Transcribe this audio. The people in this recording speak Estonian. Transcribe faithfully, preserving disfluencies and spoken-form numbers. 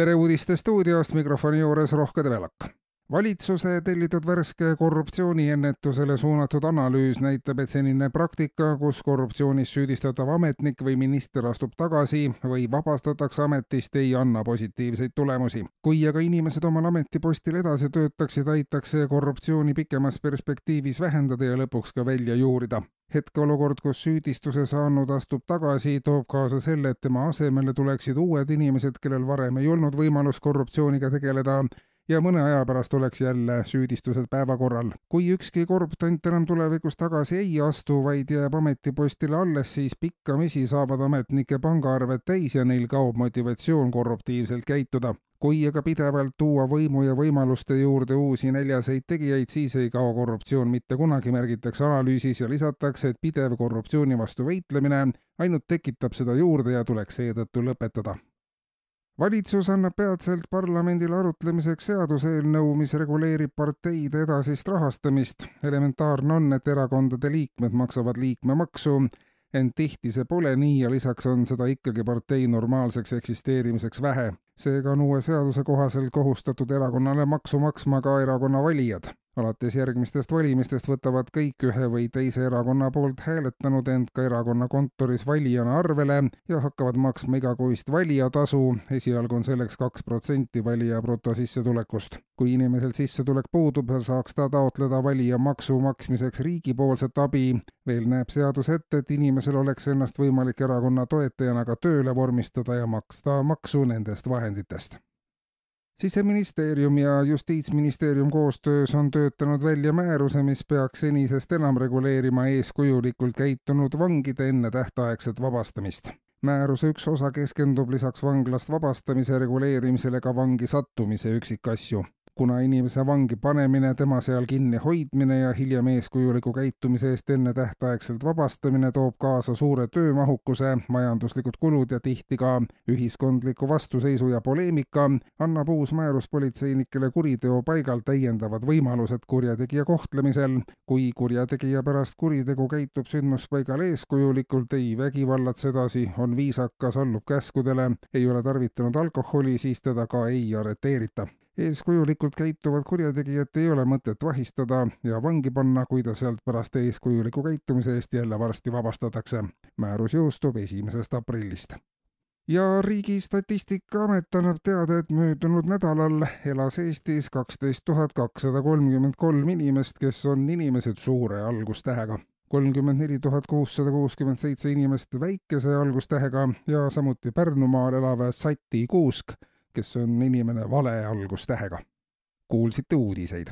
tere uudiste stuudiost, mikrofoni juures Rohke Develak. Valitsuse tellitud värske korruptsiooniennetusele suunatud analüüs näitab, et senine praktika, kus korruptsioonis süüdistatav ametnik või minister astub tagasi või vabastatakse ametist, ei anna positiivseid tulemusi. Kui aga inimesed omal ametipostil edasi töötaksid, aitaks see korruptsiooni pikemas perspektiivis vähendada ja lõpuks ka välja juurida. Hetkeolukord, kus süüdistuse saanud astub tagasi, toob kaasa selle, et tema asemele tuleksid uued inimesed, kellel varem ei olnud võimalus korruptsiooniga tegeleda, ja mõne aja pärast oleks jälle süüdistused päevakorral. Kui ükski korruptant enam tulevikus tagasi ei astu, vaid jääb ametipostile alles, siis pikkamisi saavad ametnike pangaarved täis ja neil kaob motivatsioon korruptiivselt käituda. Kui aga pidevalt tuua võimu ja võimaluste juurde uusi näljaseid tegijaid, siis ei kao korruptsioon mitte kunagi, märgitakse analüüsis ja lisatakse, et pidev korruptsiooni vastu võitlemine ainult tekitab seda juurde ja tuleks seetõttu lõpetada. Valitsus annab peatselt parlamendile arutlemiseks seaduseelnõu, mis reguleerib parteide edasist rahastamist. Elementaarne on, et erakondade liikmed maksavad liikmemaksu, ent tihti see pole nii ja lisaks on seda ikkagi partei normaalseks eksisteerimiseks vähe. Seega on uue seaduse kohaselt kohustatud erakonnale maksu maksma ka erakonna valijad. Alates järgmistest valimistest võtavad kõik ühe või teise erakonna poolt hääletanud end ka erakonna kontoris valijana arvele ja hakkavad maksma igakuist valijatasu. Esialgu on selleks kaks protsenti valija brutosissetulekust. Kui inimesel sissetulek puudub, saaks ta taotleda valija maksu maksmiseks riigipoolset abi. Veel näeb seadus ette, et inimesel oleks ennast võimalik erakonna toetajana ka tööle vormistada ja maksta maksu nendest vahenditest. Siseministeerium ja Justiitsministeerium koostöös on töötanud välja määruse, mis peaks senisest enam reguleerima eeskujulikult käitunud vangide enne tähtaegset vabastamist. Määruse üks osa keskendub lisaks vanglast vabastamise reguleerimisele ka vangi sattumise üksikasju. Kuna inimese vangi panemine, tema seal kinni hoidmine ja hiljem eeskujuliku käitumise eest enne tähtaegselt vabastamine toob kaasa suure töömahukuse, majanduslikud kulud ja tihti ka ühiskondliku vastuseisu ja poleemika, annab uus määrus politseinikele kuriteo paigal täiendavad võimalused kurjategija kohtlemisel. Kui kurjategija pärast kuritegu käitub sündmuspaigal eeskujulikult, ei vägivallats edasi, on viisakas, allub käskudele, ei ole tarvitanud alkoholi, siis teda ka ei arreteerita. Eeskujulikult käituvad kurjategijat ei ole mõtet vahistada ja vangi panna, kui ta sealt pärast eeskujuliku käitumise eest jälle varsti vabastatakse. Määrus jõustub esimesest aprillist. Ja Riigi Statistikaamet annab teada, et möödunud nädalal elas Eestis kaksteist tuhat kakssada kolmkümmend kolm inimest, kes on inimesed suure algustähega. kolmkümmend neli tuhat kuussada kuuskümmend seitse inimest väikese algustähega ja samuti Pärnumaal elav Sati Kuusk, kes on inimene vale algustähega. Kuulsite uudiseid.